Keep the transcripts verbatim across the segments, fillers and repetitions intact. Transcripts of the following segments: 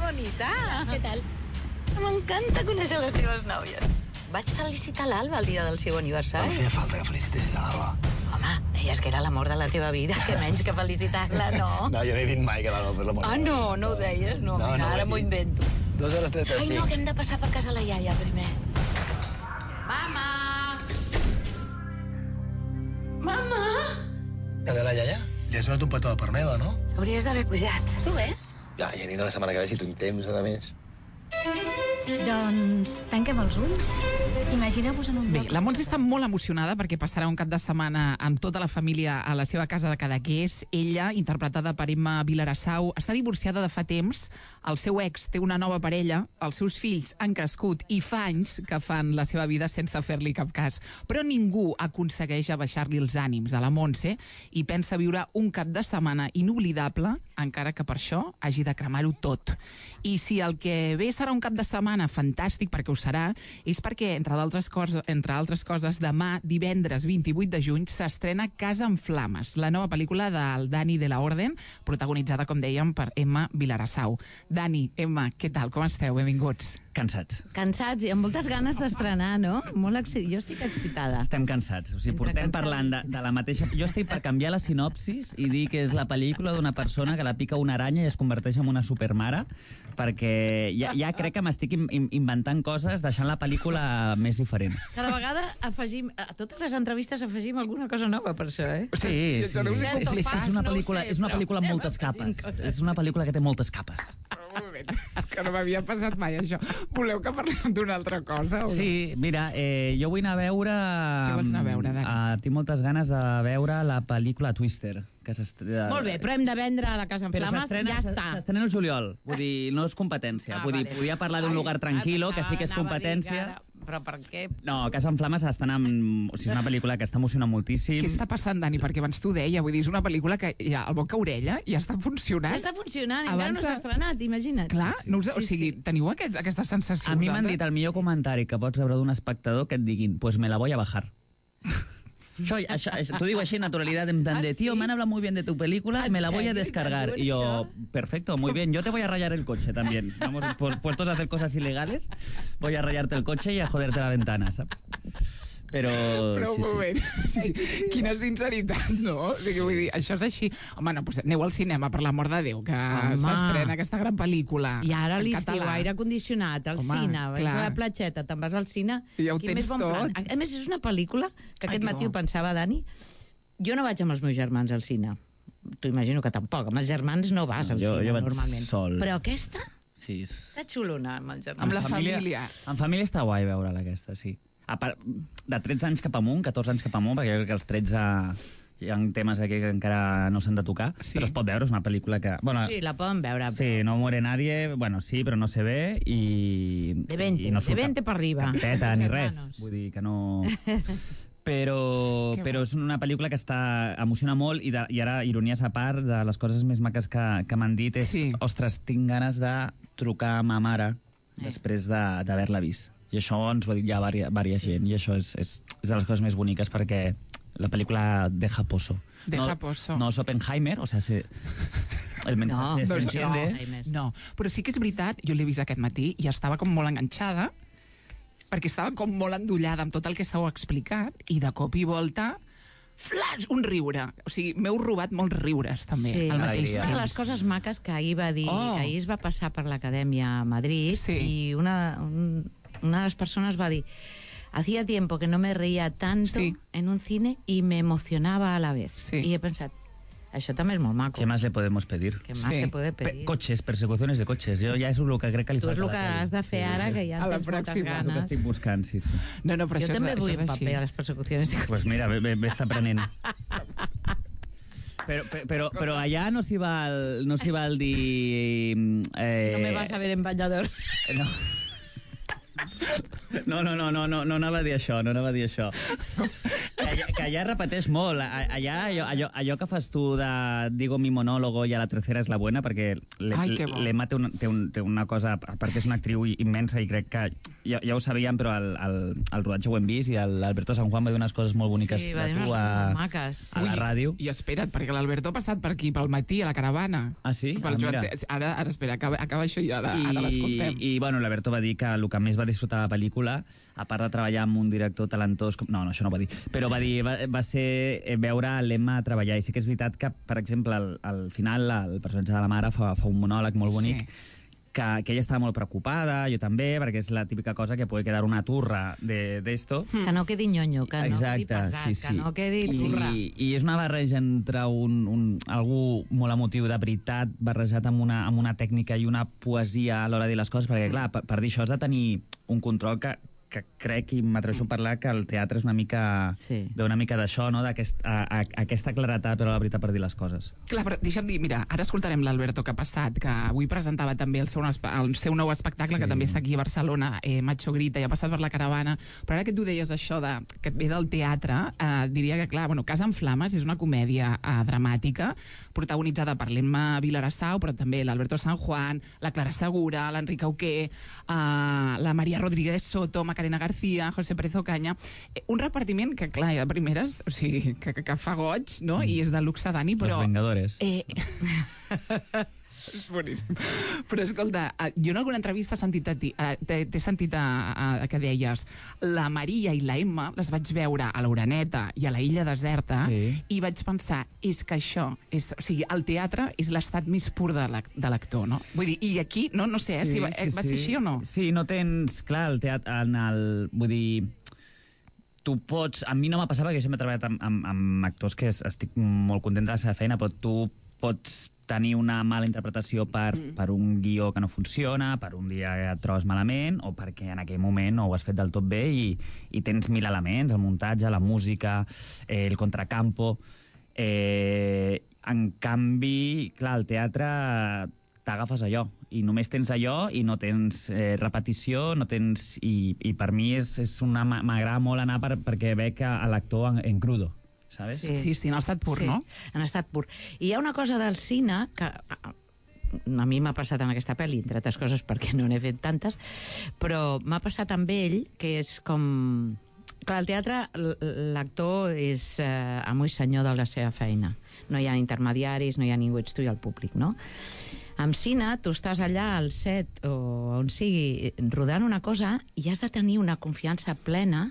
bonita. Què tal? M'encanta conèixer les teves nòvies. Vaig felicitar l'Alba el dia del seu aniversari. No feia falta que felicitessis a l'Alba. Home, deies que era l'amor de la teva vida, que menys que felicitar-la, no? No, jo no he dit mai que l'Alba fos l'amor. Ah, no, no ho deies? No, No, mira, no ho he ara m'ho dit. invento. Dos hores trenta-cinc. Ai, no, que hem de passar per casa la iaia primer. Mama! Mama! Que de la iaia? Li has donat un petó de part meva, no? Hauries d'haver pujat. Sube. Ja, ja anirà la setmana que ve si tinc temps, a més. Doncs tanquem els ulls. Imagineu-vos en un Bé, lloc... la Montse està molt emocionada perquè passarà un cap de setmana amb tota la família a la seva casa de Cadaqués. Ella, interpretada per Emma Vilarassau, està divorciada de fa temps. El seu ex té una nova parella, els seus fills han crescut i fa anys que fan la seva vida sense fer-li cap cas. Però ningú aconsegueix abaixar-li els ànims a la Montse i pensa viure un cap de setmana inoblidable, encara que per això hagi de cremar-ho tot. I si el que ve serà un cap de setmana fantàstic, perquè ho serà, és perquè, entre d'altres coses, entre altres coses, demà, divendres vint-i-vuit de juny, s'estrena Casa en Flames, la nova pel·lícula del Dani de la Orden, protagonitzada, com dèiem, per Emma Vilarassau. Dani, Emma, què tal? Com esteu? Benvinguts. Cansats. Cansats i amb moltes ganes d'estrenar, no? Molt exci... Jo estic excitada. Estem cansats. O sigui, Entre portem cansats. parlant de, de la mateixa... Jo estic per canviar la sinopsis i dir que és la pel·lícula d'una persona que la pica una aranya i es converteix en una supermare, perquè ja, ja crec que m'estic in, in, inventant coses deixant la pel·lícula més diferent. Cada vegada afegim... A totes les entrevistes afegim alguna cosa nova per això, eh? Sí, sí, sí, sí, sí, és, és que és una pel·lícula, és una pel·lícula amb moltes capes. És una pel·lícula que té moltes capes. Un moment, és que no m'havia passat mai això. Voleu que parlem d'una altra cosa? O no? Sí, mira, eh, jo vull anar a veure... Què vols anar a veure, Dani? Uh, tinc moltes ganes de veure la pel·lícula Twister. Que Molt bé, però hem de vendre a la Casa en Però Flames, s'estrena ja està. s'estrena el juliol, vull dir, no és competència. Ah, vull dir, vale. podia parlar d'un Ai, lugar tranquil·lo, que sí que és anava a dir competència. que ara- Però per què? No, Casa en Flames estan amb... O sigui, és una pel·lícula que està emocionant moltíssim. Què està passant, Dani? Perquè abans t'ho deia, vull dir, és una pel·lícula que ja al boca orella ja està funcionant. Ja està funcionant, encara Abans no s'ha de- estrenat, imagina't. Clar, no us, o Sí, sigui, sí. teniu aquest, aquesta sensació? A mi m'han vosaltres? dit el millor comentari que pots rebre d'un espectador que et diguin, pues me la voy a bajar. Això, això, això, t'ho digo així en naturalidad, en plan de, ¿Ah, tío, sí? me han hablado muy bien de tu película, ¿En me la voy a serio? descargar. ¿Te Y yo, diuen perfecto, muy bien, yo te voy a rayar el coche también. Vamos, pu- puestos a hacer cosas ilegales, voy a rayarte el coche y a joderte la ventana, ¿sabes? Però, Però sí, un moment, sí. o sigui, quina sinceritat, no? O sigui, vull dir, això és així. Home, no, doncs aneu al cinema, per l'amor de Déu, que Home. s'estrena aquesta gran pel·lícula. I ara a en l'estiu, català. aire condicionat, al Home, cine, vas clar. a la platgeta, te'n vas al cine... I ja ho quin tens més bon tot. plan. A més, és una pel·lícula que Ai, aquest no. matí ho pensava, Dani. Jo no vaig amb els meus germans al cine. T'ho imagino que tampoc. Amb els germans no vas No, al jo- cine, jo vaig normalment. sol. Però aquesta Sí, és... està xulona, amb els germans. Amb la família. En família està guai veure-la, aquesta, sí. A part, de tretze anys cap amunt, catorze anys cap amunt, perquè jo crec que els tretze hi ha temes aquí que encara no s'han de tocar, Sí. però es pot veure, és una pel·lícula que... Bueno, Sí, la poden veure. sí, no muere nadie, bueno, sí, però no se ve i... De veinte, i no de surt veinte cap- per arriba. Cap teta ni Els res, hermanos. vull dir que no... Però, Que però és una pel·lícula que està emociona molt i, de, i ara, ironies a part, de les coses més maques que, que m'han dit és, Sí. ostres, tinc ganes de trucar a ma mare Eh. després de- d'haver-la vist. I això ens ho ha dit ja vària, vària Sí. gent, i això és, és, és de les coses més boniques perquè la pel·lícula deja pozo. Deja no, pozo. No és Oppenheimer, o sea, se, el No, mensaje se doncs no. entiende. No, però sí que és veritat, jo l'he vist aquest matí i estava com molt enganxada, perquè estava com molt endollada amb tot el que estàveu explicat, i de cop i volta, flash, un riure. O sigui, m'heu robat molts riures, també, Sí. al mateix Alegria. temps. Una de les coses maques que ahir va dir, Oh. que ahir es va passar per l'Acadèmia a Madrid, Sí. i una, un, una de les persones va dir: hacía tiempo que no me reía tanto Sí. en un cine y me emocionaba a la vez. Sí. I he pensat, això també és molt maco. ¿Qué más le podemos pedir? Què más Sí. se puede Pe- pedir? coches, persecuciones de coches. Jo ja és el que crec que li Tu és falta el a que la has de fer ara, que ja A la en tens moltes pròxima. És el que ganes. estic buscant, sí, sí. No, no, però Jo això també és, vull això un és així. paper a les persecucions de cotxes. Pues mira, ve, ve, ve està aprenent. Però, però, però allà no s'hi val, no s'hi val dir... Eh, No me vas a ver en bañador. No. No, no, no, no, no, no anava a dir això, no anava a dir això. allà, que allà repeteix molt. Allà, allò, allò, allò que fas tu de digo mi monólogo i a la tercera és la buena, perquè l'Emma té, un, té, un, té una cosa, perquè és una actriu immensa i crec que ja, ja ho sabíem, però el, el, el rodatge ho hem vist i l'Alberto San Juan va dir unes coses molt boniques sí, de tu a, a la ràdio. I espera't, perquè l'Alberto ha passat per aquí, pel matí, a la caravana. Ah, sí? Ah, Joan, ara, ara, espera, acaba, acaba això ja, ara, ara l'escoltem. I, bueno, l'Alberto va dir que el que més va disfrutar de la pel·lícula, a part de treballar amb un director talentós... Com... No, no, això no ho va dir. Però va dir, va, va ser veure l'Emma treballar. I sí que és veritat que, per exemple, al, al final, el personatge de la mare fa, fa un monòleg molt bonic, sí. que, que ella estava molt preocupada, jo també, perquè és la típica cosa que pot quedar una turra d'esto. De, que no quedi nyonyo, que Exacte, no quedi pesat, sí, sí. que no quedi turra. I, i és una barreja entre un, un, algú molt emotiu de veritat barrejat amb una, amb una tècnica i una poesia a l'hora de dir les coses, perquè, clar, per, per dir això has de tenir un control que que crec, i m'atreveixo a parlar, que el teatre és una mica... Sí. Ve una mica d'això, no? D'aquest, a, a, aquesta claretat, però la veritat, per dir les coses. Clar, però deixa'm dir, mira, ara escoltarem l'Alberto que ha passat, que avui presentava també el seu, el seu nou espectacle, sí. que també està aquí a Barcelona, eh, Macho Grita, i ha passat per la caravana, però ara que tu deies això de, que et ve del teatre, eh, diria que, clar, bueno, Casa en Flames és una comèdia eh, dramàtica, protagonitzada per l'Emma Vilarassau, però també l'Alberto San Juan, la Clara Segura, l'Enric Auqué, eh, la Maria Rodríguez Soto, Macarena García, José Pérez Ocaña, eh, un repartiment que, clar, ja de primeres, o sigui, que, que, que fa goig, no?, i és de luxe, Dani, però... Los Vengadores. Eh... és boníssim. Però, escolta, jo en alguna entrevista he sentit a ti, t'he sentit a, a, a que deies la Maria i la Emma les vaig veure a l'Oreneta i a la Illa Deserta, sí. i vaig pensar, és que això, és, o sigui, el teatre és l'estat més pur de l'actor, no? Vull dir, i aquí, no, no sé, sí, eh, sí, va ser sí. així o no? Sí, no tens, clar, el teatre, en el, vull dir, tu pots... A mi no m'ha passat perquè jo sempre he treballat amb, amb, amb actors que estic molt content de la seva feina, però tu pots tenir una mala interpretació per, mm. per un guió que no funciona, per un dia que et trobes malament, o perquè en aquell moment no ho has fet del tot bé i, i tens mil elements, el muntatge, la música, eh, el contracampo... Eh, en canvi, clar, al teatre t'agafes allò, i només tens allò i no tens eh, repetició, no tens... I, i per mi és, és una... m'agrada molt anar per, perquè veig l'actor en, en crudo. ¿Sabes? Sí, sí, sí, en estat pur, sí, no? en estat pur. I hi ha una cosa del cine que a mi m'ha passat en aquesta pel·li, entre altres coses perquè no n'he fet tantes, però m'ha passat amb ell, que és com... Clar, al teatre l'actor és eh, amo i senyor de la seva feina. No hi ha intermediaris, no hi ha ningú, ets tu i el públic, no? Amb cine, tu estàs allà al set o on sigui rodant una cosa i has de tenir una confiança plena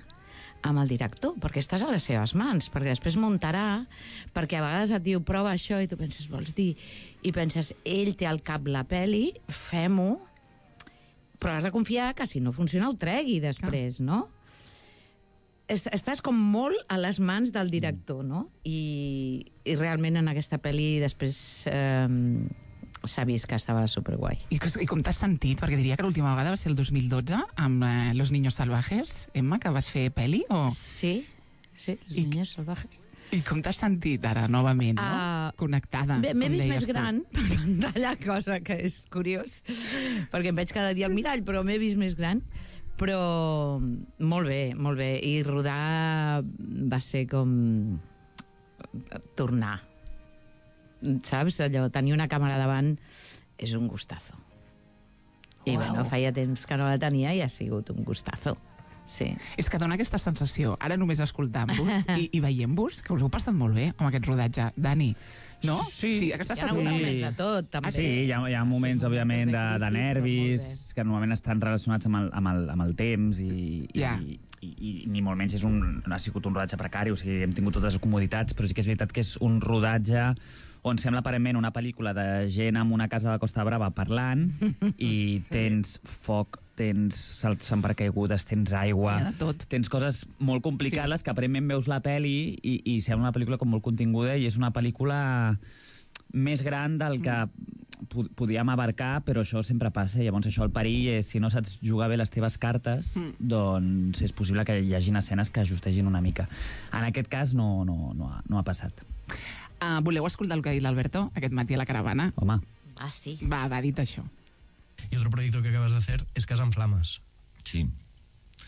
amb el director, perquè estàs a les seves mans, perquè després muntarà, perquè a vegades et diu prova això i tu penses, vols dir? I penses, ell té al cap la peli, fem-ho, però has de confiar que si no funciona ho tregui després, no? Estàs com molt a les mans del director, no? I, i realment en aquesta pel·li després... Eh, s'ha vist que estava superguai. I, i com t'has sentit? Perquè diria que l'última vegada va ser el dos mil dotze amb eh, Los Niños Salvajes, Emma, que vas fer pel·li, o...? Sí, sí, Los I, Niños Salvajes. I com t'has sentit ara, novament, no? Uh, Connectada, bé, m'he vist més tu. gran per pantalla, cosa que és curiós, perquè em veig cada dia al mirall, però m'he vist més gran. Però molt bé, molt bé. I rodar va ser com tornar. Saps? Allò, tenir una càmera davant és un gustazo. I wow. Bueno, feia temps que no la tenia i ha sigut un gustazo. Sí. És que dona aquesta sensació, ara només escoltant-vos i, i veient-vos, que us heu passat molt bé amb aquest rodatge. Dani, no? Sí. Sí, aquesta hi ha sí. moments de tot, també. Sí, hi ha, hi ha moments, sí, òbviament, de, de nervis, que normalment estan relacionats amb el, amb el, amb el temps i... i yeah. i I, i ni molt menys és un, no ha sigut un rodatge precari, o sigui, hem tingut totes les comoditats, però sí que és veritat que és un rodatge on sembla aparentment una pel·lícula de gent en una casa de Costa Brava parlant i tens foc, tens salts en paracaigudes, tens aigua, tens coses molt complicades, sí. Que aparentment veus la pel·li i, i sembla una pel·lícula com molt continguda i és una pel·lícula més gran del que podíem abarcar, però això sempre passa. Llavors això, el perill és, si no saps jugar bé les teves cartes, mm. doncs és possible que hi hagin escenes que ajustegin una mica. En aquest cas no, no, no, ha, no ha passat. Uh, voleu escoltar el que ha dit l'Alberto aquest matí a la caravana? Home. Ah, sí. Va, va, dit això. Y otro proyecto que acabas de hacer es Casa en Flamas. Sí.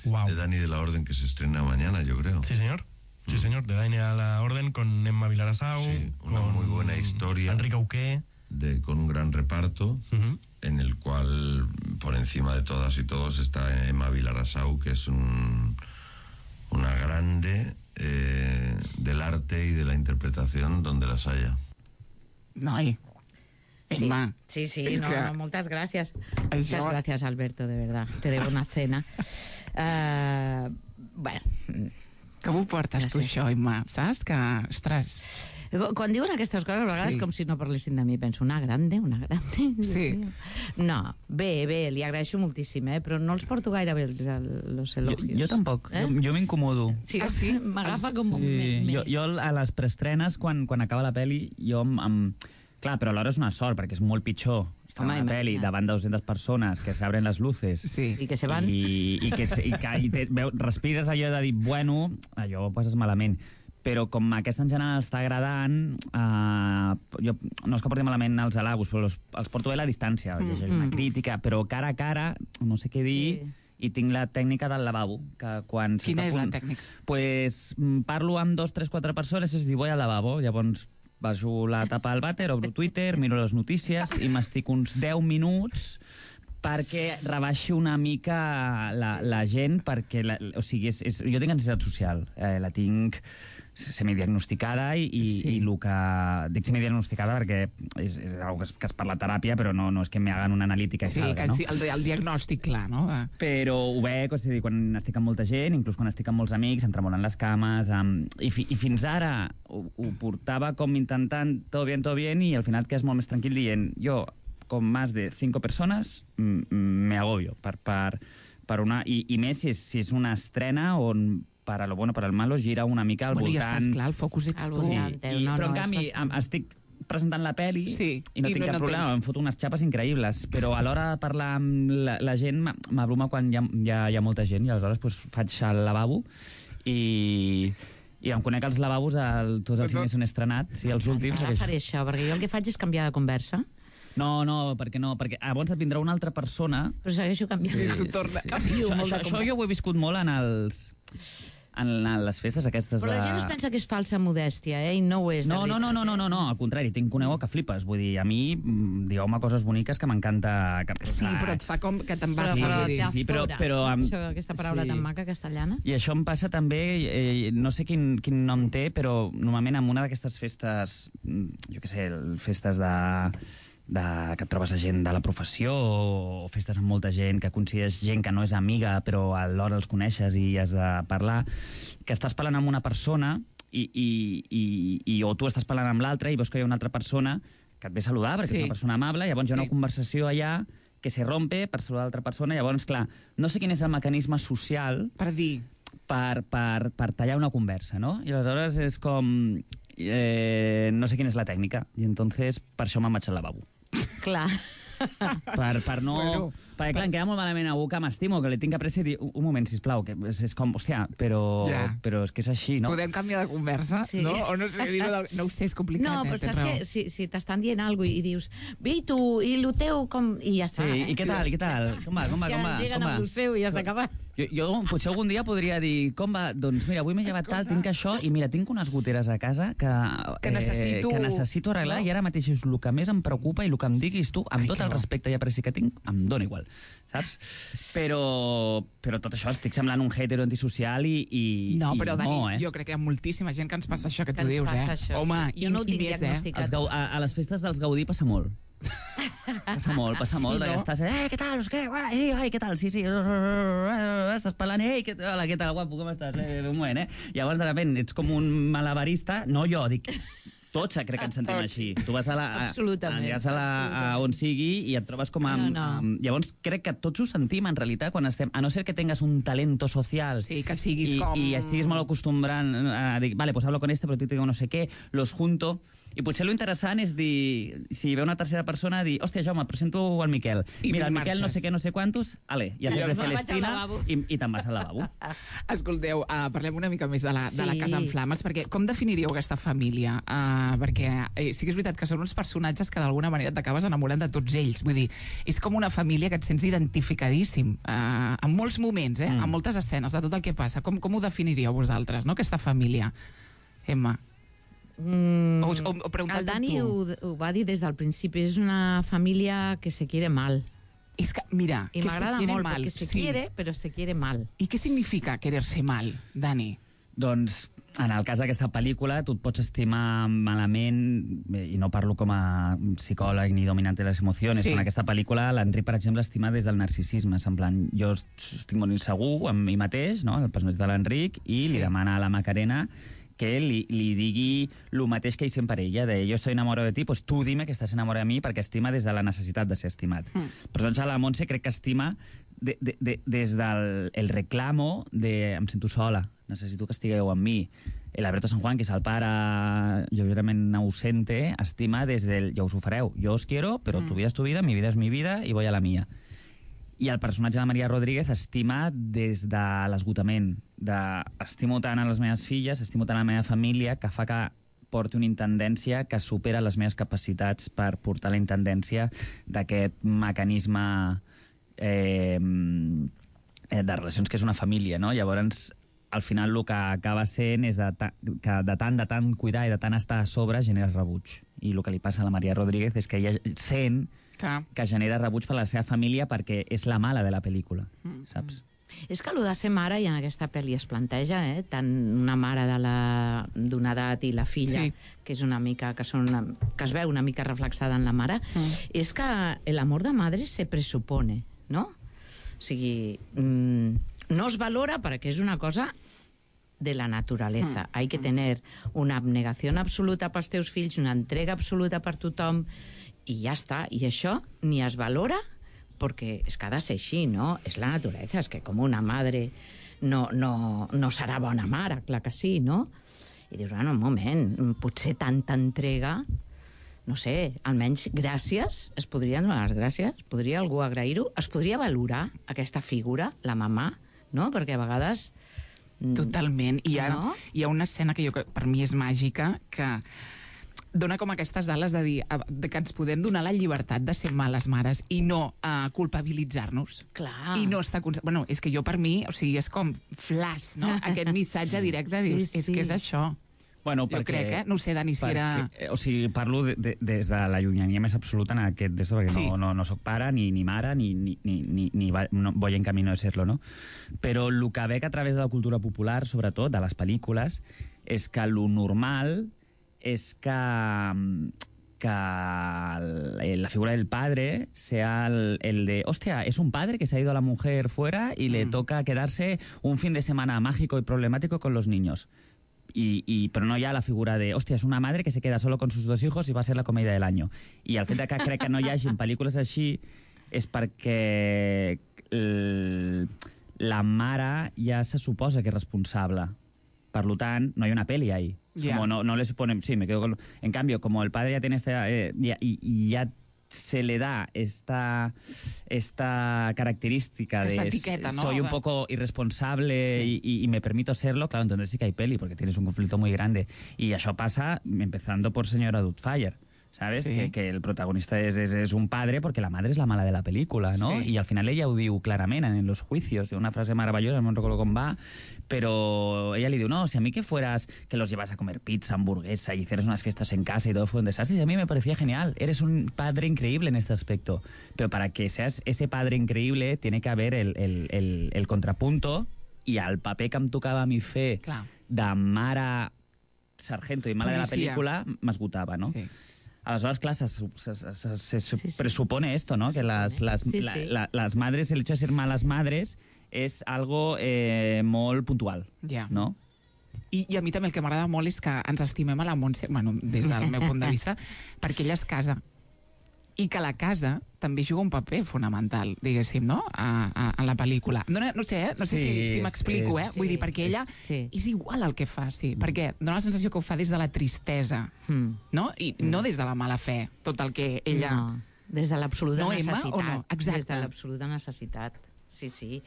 Wow. De Dani de la Orden, que se estrena mañana, yo creo. Sí, señor. Sí, señor, de Daine a la Orden, con Emma Vilarasau. Sí, una con muy buena historia. Enrique Auqué. De, con un gran reparto, uh-huh. en el cual, por encima de todas y todos, está Emma Vilarasau, que es un, una grande eh, del arte y de la interpretación donde las haya. Noi. Sí, Emma. sí, sí, Es no, que- no, muchas gracias. Això- Muchas gracias, Alberto, de verdad. Te debo una cena. Uh, bueno, Com ho portes tu, Gràcies. això, Emma? Saps que, ostres... quan diuen aquestes coses, a vegades Sí. com si no parlessin de mi, penso, una grande, una grande... Dios Sí. mío. No, bé, bé, li agraeixo moltíssim, eh? Però no els porto gaire bé els, els Jo, elogios. jo tampoc, Eh? jo, jo m'incomodo. Sí, Ah, sí? m'agafa com... Sí, me- me- jo, jo a les preestrenes, quan, quan acaba la pel·li, jo em, em... Clar, però alhora és una sort, perquè és molt pitjor estar Home, en una pel·li imagina't. davant de dues-centes persones, que s'abren les luces... Sí. I que se van. I, i que, se- i que i te, veu, respires allò de dir, bueno, allò ho passes malament. Però com aquesta en general està agradant, eh, jo no és que porti malament els halagos, però els, els porto bé a la distància. Mm. Llegeix una crítica, però cara a cara, no sé què dir... Sí. I tinc la tècnica del lavabo, que quan... Quina s'està a és la punt- tècnica? Pues mm, parlo amb dos, tres, quatre persones i es diu, voy al lavabo. Llavors baixo la tapa del vàter, obro Twitter, miro les notícies i m'estic uns deu minuts perquè rebaixi una mica la, la gent, perquè la, o sigui, és, és, jo tinc ansietat social, eh, la tinc semidiagnosticada i, i, Sí. i el que... Dic semidiagnosticada perquè és, és una que es, que es parla a teràpia, però no, no és que me hagan una analítica i Sí, salga, que no? el, el diagnòstic clar, no? De- Però ho veig, o sigui, quan estic amb molta gent, inclús quan estic amb molts amics, em tremolen les cames, um, i, fi, i fins ara ho, ho portava com intentant todo bien, todo bien, i al final et quedes molt més tranquil dient, jo, con más de cinco persones, m- m- me agobio per, per, per una... I, i més si és, si és una estrena on, per a lo bueno, per al malo, gira una mica al Bueno, ja voltant... estàs clar, el focus ets Al tu. voltant. I, No, però no, en és canvi bastant. em, estic presentant la pel·li Sí, i no i tinc no- cap no problema, tens. em foto unes xapes increïbles, però a l'hora de parlar amb la, la gent m- m'abruma quan hi ha, hi, ha, hi ha molta gent i aleshores pues, faig el lavabo i, i em conec els lavabos el, tots els cines on he estrenat i els últims. Ara perquè- faré això, perquè jo el que faig és canviar de conversa, No, no, perquè no, perquè llavors et vindrà una altra persona. però segueixo canviant. Sí, tu torna- Canvio Això, molt això, de això jo ho he viscut molt en els en, en les festes aquestes Però la de... gent es pensa que és falsa modèstia, eh? I no ho és. de No, no, no, no, no, no, no, al contrari, tinc conegut que flipes. Vull dir, a mi, mm, digueu-me coses boniques que m'encanta... que- Sí, però et fa com que te'n vas Però, Sí, però, dir. sí, ja sí, però- fora. però amb- Això, aquesta paraula sí. tan maca castellana. I això em passa també, eh, no sé quin, quin nom té, però normalment en una d'aquestes festes, mm, jo què sé, festes de, de, que et trobes a gent de la professió o, o festes amb molta gent, que coincideix gent que no és amiga però alhora els coneixes i has de parlar, que estàs parlant amb una persona i, i, i, i o tu estàs parlant amb l'altra i veus que hi ha una altra persona que et ve a saludar perquè Sí. és una persona amable, llavors hi ha Sí. una conversació allà que se rompe per saludar l'altra persona, llavors, clar, no sé quin és el mecanisme social Per dir, per, per, per tallar una conversa, no? I aleshores és com... Eh, no sé quina és la tècnica, i entonces per això me'n vaig al lavabo. Clar. Per, per no... Bueno, Bueno, perquè, clar, em queda molt malament a algú que m'estimo, que li tinc apreci i dir, un, un moment, sisplau, que és, és com, hòstia, però, Ja. però és que és així, no? podem canviar de conversa, Sí. no? O no sé, dir-ho del... no ho sé, és complicat. No, eh? però tens saps raó. que si, si t'estan dient alguna cosa i dius bé, i tu, i el teu, com... I ja està, Sí, eh? i què tal, i què tal? Com va, com va, Ja com va? engeguen Com va? amb el seu i ja s'ha acabat. Jo, jo potser algun dia podria dir, com va? Doncs mira, avui m'he llevat tal, tinc això, i mira, tinc unes goteres a casa que, Que necessito- eh, que necessito arreglar, no? i ara mateix és el que més em preocupa i el que em diguis tu, amb Ai, tot que el bo. respecte i apreci que tinc, em dóna igual, saps? Però, però tot això, estic semblant un hater antisocial i, i, No, i però Dani, no, eh? jo crec que hi ha moltíssima gent que ens passa això que Que tu ens dius, passa eh? això, Home, sí. Jo no ho i, i tinc més, eh? diagnosticat. Els Gau, a, a les festes dels Gaudí passa molt. Passa molt, passa Sí, molt, no? que estàs, eh, què tal, què, guai, ei, ai, què tal, sí, sí, estàs parlant, ei, què, hola, què tal, guapo, com estàs, eh, un moment, eh? Llavors, de repente, ets com un malabarista, no jo, dic, tots crec que ens sentim Tots. així. Tu vas a la, a, Absolutament, aniràs a, la, a on sigui i et trobes com amb, No, no. amb... Llavors, crec que tots ho sentim, en realitat, quan estem... A no ser que tengas un talento social Sí, que siguis i, com... i estiguis molt acostumbrant a dir, vale, pues hablo con este, pero tú te digo no sé qué, los junto... I potser lo interessant és dir, si ve una tercera persona, dir, hòstia, Jaume, presento al Miquel. I Mira, el marxes. Miquel no sé què, no sé quantos, ale, ja fes de me'n vaig al Celestina lavabo. i, i te'n vas al lavabo. Escolteu, uh, parlem una mica més de la, de la Sí. Casa en Flames, perquè com definiríeu aquesta família? Uh, perquè eh, sí que és veritat que són uns personatges que d'alguna manera t'acabes enamorant de tots ells. Vull dir, és com una família que et sents identificadíssim, uh, en molts moments, eh? Mm. En moltes escenes de tot el que passa. Com, com ho definiríeu vosaltres, no?, aquesta família? Emma. Mm, O, o, o preguntar-t'ho el Dani tu. ho, ho va dir des del principi, és una família que se quiere mal. És que, mira, I que se m'agrada quiere molt, mal. perquè se sí. quiere, però se quiere mal. I què significa querer-se mal, Dani? Doncs, en el cas d'aquesta pel·lícula, tu et pots estimar malament, eh, i no parlo com a psicòleg ni dominante de les emocions, Sí. en aquesta pel·lícula l'Enric, per exemple, estima des del narcisisme. És en plan, jo estic molt insegur amb mi mateix, no?, el personatge de l'Enric, i Sí. li demana a la Macarena que li, li digui el mateix que ell sempre ella, de jo estoy enamorado de ti, pues tu dime que estàs enamorado de mi, perquè estima des de la necessitat de ser estimat. Mm. Però doncs a la Montse crec que estima de, de, de, des del el reclamo de em sento sola, necessito que estigueu amb mi. El Alberto San Juan, que és el pare lleugerament ausente, estima des del ja us ho fareu, jo os quiero, però mm. tu vida és tu vida, mi vida és mi vida i voy a la mia. I el personatge de Maria Rodríguez estima des de l'esgotament, de estimo tant a les meves filles, estimo tant a la meva família, que fa que porti una intendència que supera les meves capacitats per portar la intendència d'aquest mecanisme eh, de relacions que és una família, no? Llavors, al final el que acaba sent és de ta, que de tant, de tant cuidar i de tant estar a sobre genera rebuig. I el que li passa a la Maria Rodríguez és que ella sent Que... que genera rebuig per la seva família perquè és la mala de la pel·lícula, mm. saps? És que allò de ser mare, i en aquesta pel·li es planteja, eh? tant una mare de la- d'una edat i la filla, Sí. que és una mica, que, són una, que es veu una mica reflexada en la mare, mm. és que el amor de madre se presupone, no? O sigui, mm, no es valora perquè és una cosa de la naturaleza. Mm. Hay que tener una abnegación absoluta pels teus fills, una entrega absoluta per tothom, i ja està. I això ni es valora perquè és que ha de ser així, no? És la naturalesa, és que com una madre no, no, no serà bona mare, clar que sí, no? I dius, bueno, un moment, potser tanta entrega, no sé, almenys gràcies, es podrien donar les gràcies, podria algú agrair-ho, es podria valorar aquesta figura, la mamà, no? Perquè a vegades... Totalment. I hi ha, No? hi ha una escena que jo, crec- per mi és màgica, que dona com aquestes ales de dir a- de que ens podem donar la llibertat de ser males mares i no uh, culpabilitzar-nos. Clar. I no està... conse- Bueno, és que jo per mi, o sigui, és com flash, no? Aquest missatge directe, Sí, dius, és sí. que és això. Bueno, Jo crec, eh? No ho sé, Dani, si era... perquè, o sigui, parlo de, de, des de la llunyania més absoluta en aquest d'esto, perquè Sí. no, no, no soc pare, ni, ni mare, ni, ni, ni, ni, ni va, no, voy en camino de serlo, no? Però el que veig a través de la cultura popular, sobretot, de les pel·lícules, és que lo normal és que, que el- la figura del padre sea el, el de, hostia, es un padre que se ha ido a la mujer fuera y le toca quedarse un fin de semana mágico y problemático con los niños. Y, y, pero no ya la figura de, hòstia, és una madre que se queda solo con sus dos hijos i va a ser la comèdia de l'any. I el fet de que crec que no hi hagi pel·lícules així és perquè el, la mare ja se suposa que és responsable. Per lo tant, no hay una peli ahí. Ya. Como no, no le suponen... Sí, me quedo con... En cambio, como el padre ya tiene esta... Eh, ya, y, y ya se le da esta, esta característica Esta de etiqueta, ¿no? soy un De- poco irresponsable Sí. y, y, y me permito serlo, claro, entonces sí que hay peli, porque tienes un conflicto muy grande. Y eso pasa empezando por Señora Doubtfire, ¿sabes? Sí. Que, que el protagonista es, es, es un padre porque la madre es la mala de la película, ¿no? Sí. Y al final ella ho diu clarament en los juicios, de una frase maravillosa, no recuerdo com va, pero ella le diu, no, si a mí que fueras, que los llevas a comer pizza, hamburguesa y hicieras unas fiestas en casa y todo fue un desastre, y a mí me parecía genial, eres un padre increíble en este aspecto, pero para que seas ese padre increíble tiene que haber el, el, el, el contrapunto, i el paper que em tocava a mi fer Clar. de mare sargento i mala de la Policia. pel·lícula m'esgotava, no? Sí. Aleshores, clar, se, se, se, se, se Sí, sí. presupone esto, ¿no? Que las, las, Sí, la- sí. la- las madres, el hecho de ser malas madres es algo eh, molt puntual, Ja. ¿no? I, I a mi també el que m'agrada molt és que ens estimem a la Montse, bueno, des del meu punt de vista, perquè ella es casa. i que la casa també juga un paper fonamental, diguéssim, no?, a, a, a la pel·lícula. No, no sé, eh? no sé Sí, si, si és- m'explico, és- eh? Vull dir, perquè ella Sí. és igual el que fa, sí, perquè dona la sensació que ho fa des de la tristesa, Mm. no? I no des de la mala fe, tot el que ella... No, des de l'absoluta No, Emma, necessitat. o no? Exacte. Des de l'absoluta necessitat. Sí, sí.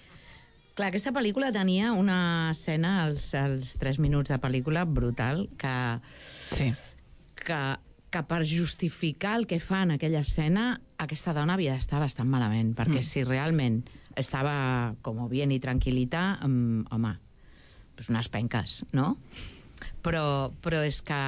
Clar, aquesta pel·lícula tenia una escena als, als tres minuts de pel·lícula brutal que, Sí. que, que per justificar el que fa en aquella escena aquesta dona havia d'estar bastant malament, perquè Mm. si realment estava com bien i tranquil·lita, um, home, pues unes penques, no? Però, però és que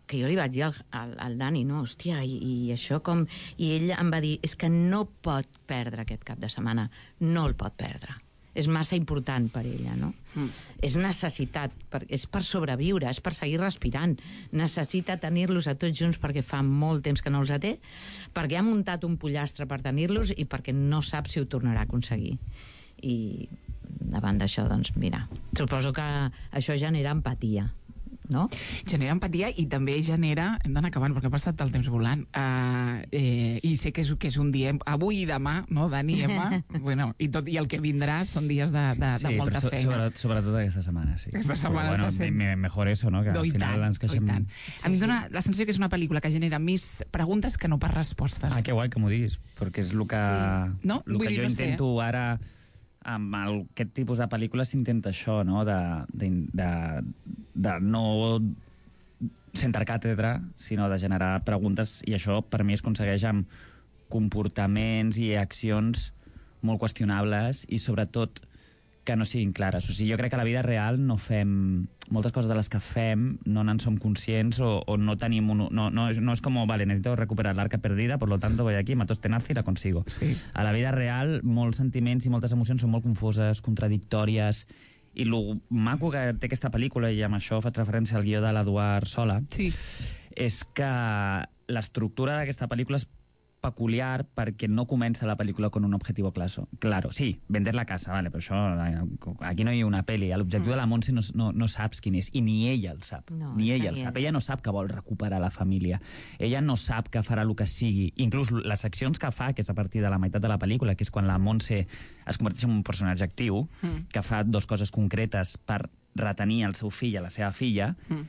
que jo li vaig dir al, al, al Dani, no, hòstia, i, i això com... I ell em va dir, és que no pot perdre aquest cap de setmana, no el pot perdre. És massa important per ella, no? Mm. És necessitat, per, és per sobreviure, és per seguir respirant. Necessita tenir-los a tots junts perquè fa molt temps que no els té, perquè ha muntat un pollastre per tenir-los i perquè no sap si ho tornarà a aconseguir. I davant d'això, doncs, mira, suposo que això genera empatia, no? Genera empatia i també genera... Hem d'anar acabant perquè ha passat el temps volant. Uh, eh, I sé que és, que és un dia... Avui i demà, no, Dani i Emma? bueno, i, tot, I el que vindrà són dies de, de, de Sí, molta però so, feina. sobre, sobretot aquesta setmana, sí. Aquesta setmana Però, està sent- me- Mejor eso, no? Que No, al i final tant, ens queixem... i tant. A mi em dona la sensació que és una pel·lícula que genera més preguntes que no pas respostes. Ah, que guai que m'ho diguis, perquè és el que, Sí. No? el Vull que dir, jo no sé. intento ara amb el, aquest tipus de pel·lícules s'intenta això, no? De, de, de, de no sentar càtedra, sinó de generar preguntes, i això per mi es aconsegueix amb comportaments i accions molt qüestionables i sobretot que no siguin clares. O sigui, jo crec que a la vida real no fem... Moltes coses de les que fem no n'en som conscients o, o no tenim... Un, no, no, no és com, vale, necesito recuperar l'arca perdida, por lo tanto voy aquí, mato este nazi y la consigo. Sí. A la vida real, molts sentiments i moltes emocions són molt confoses, contradictòries, i el maco que té aquesta pel·lícula, i amb això faig referència al guió de l'Eduard Sola, Sí. és que l'estructura d'aquesta pel·lícula és peculiar perquè no comença la pel·lícula con un objetivo claro. Claro, sí, vender la casa, vale, però això, aquí no hi ha una pel·li. L'objectiu mm. de la Montse no, no, no saps quin és, i ni ella el sap. No, ni és ella que el ni sap. ella. Ella no sap que vol recuperar la família. Ella no sap que farà el que sigui. Inclús les accions que fa, que és a partir de la meitat de la pel·lícula, que és quan la Montse es converteix en un personatge actiu, mm. que fa dos coses concretes per retenir el seu fill i la seva filla, mm.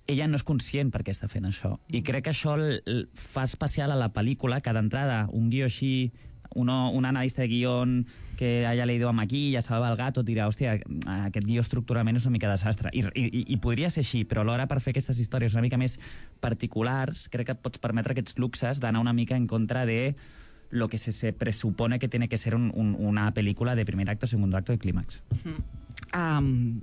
ella no és conscient per què està fent això. I crec que això l- l- fa especial a la pel·lícula, que d'entrada un guió així, uno, un analista de guión que haya leído a Maquilla, Salva el Gato, dirà, hòstia, aquest guió estructuralment és una mica desastre. I, i, i podria ser així, però alhora per fer aquestes històries una mica més particulars, crec que et pots permetre aquests luxes d'anar una mica en contra de lo que se, se presupone que tiene que ser un, un, una pel·lícula de primer acto, segundo acto i clímax. Um,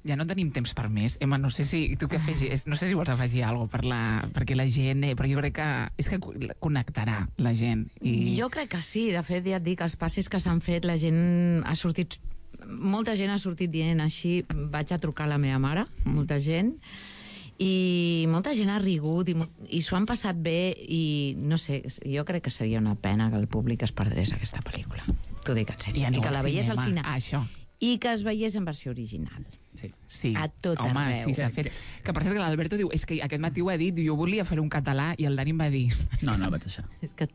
ja no tenim temps per més. Emma, no sé si tu què afegis, no sé si vols afegir alguna cosa per la, perquè la gent, eh, però jo crec que és que connectarà la gent. I... Jo crec que sí, de fet ja et dic, els passis que s'han fet, la gent ha sortit, molta gent ha sortit dient així, vaig a trucar a la meva mare, molta gent, i molta gent ha rigut i, mo- i s'ho han passat bé i no sé, jo crec que seria una pena que el públic es perdés aquesta pel·lícula. T'ho dic en sèrio. I I, aneu que al la veiés al cinema. cine. Ah, això. I que es veiés en versió original. Sí. Sí. A tot Home, arreu. sí, s'ha fet. Que per cert que l'Alberto diu, és que aquest matí ho ha dit, jo volia fer un català i el Dani em va dir... No, no el vaig deixar. És que...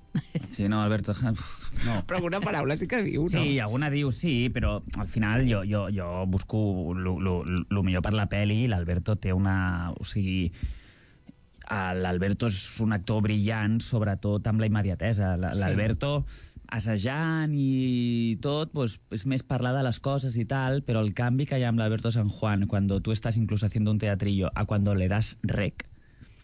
Sí, no, Alberto, uf, no. Però alguna paraula sí que diu, no? Sí, alguna diu sí, però al final jo, jo, jo busco el millor per la pel·li i l'Alberto té una... O sigui, l'Alberto és un actor brillant, sobretot amb la immediatesa. L'Alberto, assajant i tot, pues, és més parlar de les coses i tal, però el canvi que hi ha amb l'Alberto San Juan, quan tu estàs inclús haciendo un teatrillo, a cuando le das rec,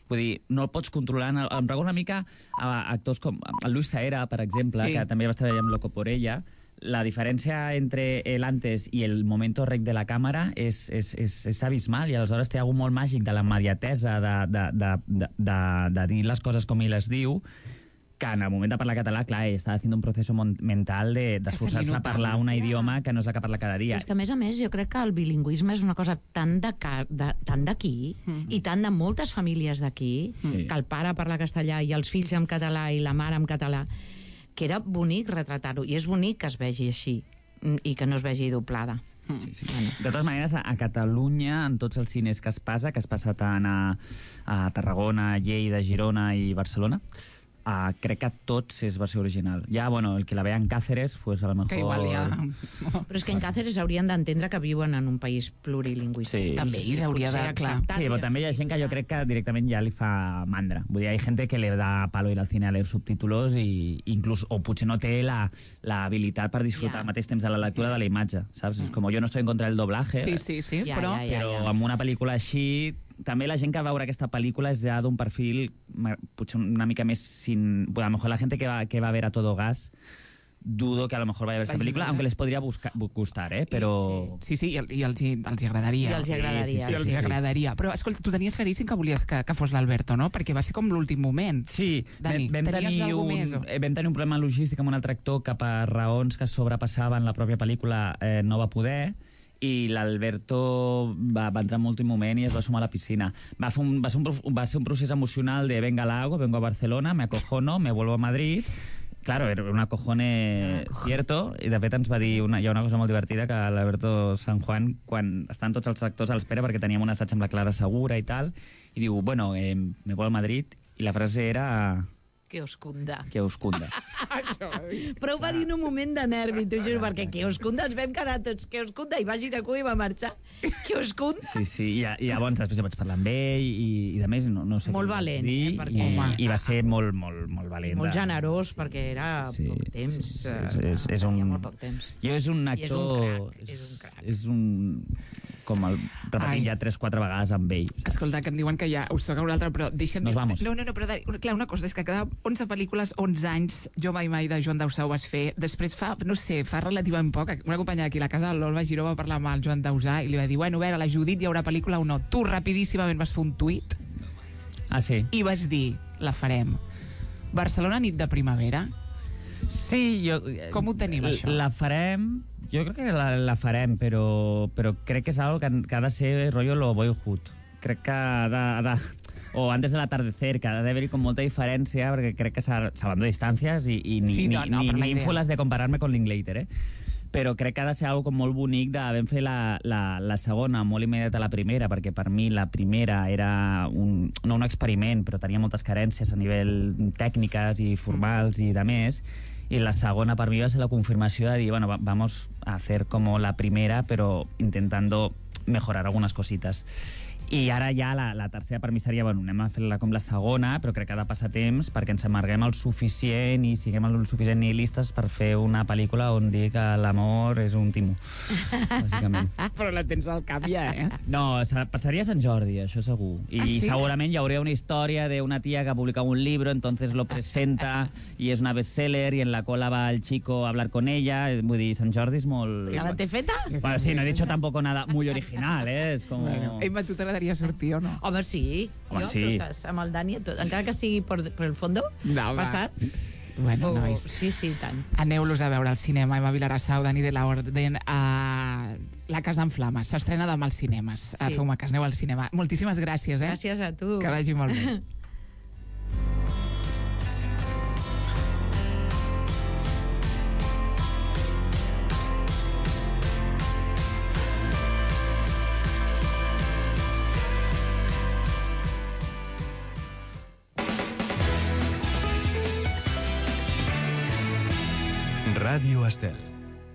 vull dir, no el pots controlar. Em recordo una mica a actors com el Luis Zaera, per exemple, Sí. que també va estar amb Loco por ella. La diferència entre el antes i el momento rec de la càmera és, és, és, és abismal, i aleshores té algú molt màgic de la immediatesa, de, de, de, de, de, de dir les coses com ell les diu, que en el moment de parlar català, clar, ell està fent un procés mental de- d'esforçar-se se li a parlar nota. un idioma que no és el que parla cada dia. És que, a més a més, jo crec que el bilingüisme és una cosa tan de ca- de- tan d'aquí mm. i tant de moltes famílies d'aquí, Sí. que el pare parla castellà i els fills en català i la mare en català, que era bonic retratar-ho. I és bonic que es vegi així mm, i que no es vegi doblada. Sí, sí. De totes maneres, a, a Catalunya, en tots els cines que es passa, que es passa tant a, a Tarragona, Lleida, Girona i Barcelona, Uh, crec que tots és versió original. Ja, bueno, el que la vea en Cáceres, pues a lo mejor... Que igual ja... Però és que en Cáceres haurien d'entendre que viuen en un país plurilingüístic. Sí, també sí, sí, hauria de... Clar. Sí, però també hi ha gent que jo crec que directament ja li fa mandra. Vull dir, hi ha gent que le da palo ir al cine a leer subtítulos i inclús, o potser no té la, la habilitat per disfrutar yeah. al mateix temps de la lectura de la imatge, saps? Mm. Com jo no estoy en contra del doblaje, sí, sí, sí, ja, però, ja, ja, però ja. amb una pel·lícula així... També la gent que va veure aquesta pel·lícula és ja d'un perfil potser una mica més sin... Bueno, a lo mejor la gente que va, que va a ver A Todo Gas dudo que a lo mejor vaya a ver esta película, aunque les podria buscar, gustar, eh? Però... Sí, sí, i, i els, hi, els hi agradaria. I els hi agradaria, sí, sí, sí, els hi agradaria. Però, escolta, tu tenies claríssim que volies que, que fos l'Alberto, no? Perquè va ser com l'últim moment. Sí, Dani, vam, vam, tenir un, més, o? vam tenir un problema logístic amb un altre actor que per raons que sobrepassaven la pròpia pel·lícula eh, no va poder, i l'Alberto va, va entrar en l'últim moment i es va sumar a la piscina. Va, fer un, va, ser un, va ser un procés emocional de venga, la hago, vengo a Barcelona, me acojono, me vuelvo a Madrid. Claro, era un acojone cierto, i de fet ens va dir una, hi ha una cosa molt divertida, que l'Alberto San Juan, quan estan tots els actors a l'espera, perquè teníem un assaig amb la Clara Segura i tal, i diu, bueno, eh, me voy a Madrid, i la frase era... Que os cunda. Que us cunda. Però ho va dir en un moment de nervi, t'ho juro, perquè que us cunda ens vam quedar tots, que us cunda, i va girar cua i va marxar. Que us cunda? Sí, sí, i, i llavors després vaig parlar amb ell i, i de més no, no sé molt què valent, dir, eh, perquè... i, i va ser molt, molt, molt valent. Molt generós, perquè era sí, sí, poc temps. Sí, sí, és, és, és un... molt poc temps. Jo és un I és actor... un crac, és un crac. És un... Com el repetir ja tres, quatre vegades amb ell. Escolta, que em diuen que ja us toca un altre, però deixa'm... Nos vamos. No, no, no, però clar, una cosa és que cada onze pel·lícules, onze anys, Jo mai mai de Joan Dausà ho vas fer. Després fa, no sé, fa relativament poc, una companya d'aquí a la casa, l'Olva Giró, va parlar amb el Joan Dausà i li va dir, bueno, a veure, la Judit hi haurà pel·lícula o no. Tu rapidíssimament vas fer un tuit Ah, sí? i vas dir, la farem. Barcelona, nit de primavera. Sí, jo... Com ho tenim, això? La farem... Jo crec que la, la farem, però, però crec que és algo que, que ha de ser rotllo lo boyhood. Crec que ha de... Ha de o antes del atardecer, que ha d'haver-hi com molta diferència, perquè crec que salvando distàncies i, i ni, sí, no, no, ni, ni, ni ínfoles de compararme con Linklater, eh? Però crec que ha de ser algo com molt bonic de vam fer la, la, la segona molt immediata a la primera, perquè per mi la primera era un, no un experiment, però tenia moltes carències a nivell tècniques i formals i de més, i la segona per mi va ser la confirmació de dir, bueno, vamos a hacer como la primera, pero intentando mejorar algunas cositas. I ara ja la, la tercera per mi seria, bueno, anem a fer-la com la segona, però crec que ha de passar temps perquè ens amarguem el suficient i siguem el suficient nihilistes per fer una pel·lícula on dir que l'amor és un timo, bàsicament. Però la tens al cap ja, eh? No, passaria a Sant Jordi, això segur. I ah, sí? segurament hi hauria una història d'una tia que ha publicat un libro, entonces lo presenta i és una bestseller i en la cola va el chico a hablar con ella. Vull dir, Sant Jordi és molt... ¿Ya la te feta? Bueno, sí, no he dicho tampoco nada muy original, eh? És com... Bueno, Emma, tu t'agradaria sortir o no? Home, sí. Home, jo, sí. Totes, amb el Dani, tot, encara que estigui per, per el fondo, no, passat. Bueno, oh, nois. Sí, sí, tant. Aneu-los a veure al cinema, Emma Vilarassau, Dani de la Orden, a La Casa en Flames. S'estrena demà als cinemes. Sí. Feu-me cas, aneu al cinema. Moltíssimes gràcies, eh? Gràcies a tu. Que vagi molt bé. Ràdio Estel.